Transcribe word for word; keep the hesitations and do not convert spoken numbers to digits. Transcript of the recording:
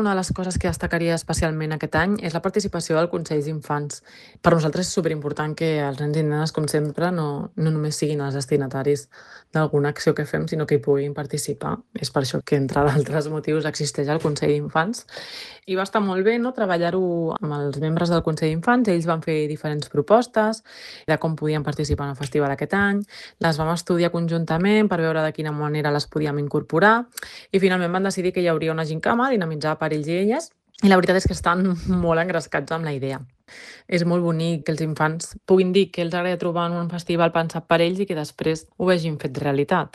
una de les coses que destacaria especialment aquest any és la participació del Consell d'Infants. Per nosaltres és superimportant que els nens i nenes, com sempre, no, no només siguin els destinataris d'alguna acció que fem, sinó que hi puguin participar. És per això que, entre d'altres motius, existeix el Consell d'Infants. I va estar molt bé, no?, treballar-ho amb els membres del Consell d'Infants. Ells van fer diferents propostes de com podien participar en el festival aquest any. Les vam estudiar conjuntament per veure de quina manera les podíem incorporar i finalment van decidir que hi hauria una gincama dinamitzada per ells i elles, i la veritat és que estan molt engrescats amb la idea. És molt bonic que els infants puguin dir que els agrada trobar en un festival pensat per ells i que després ho vegin fet realitat.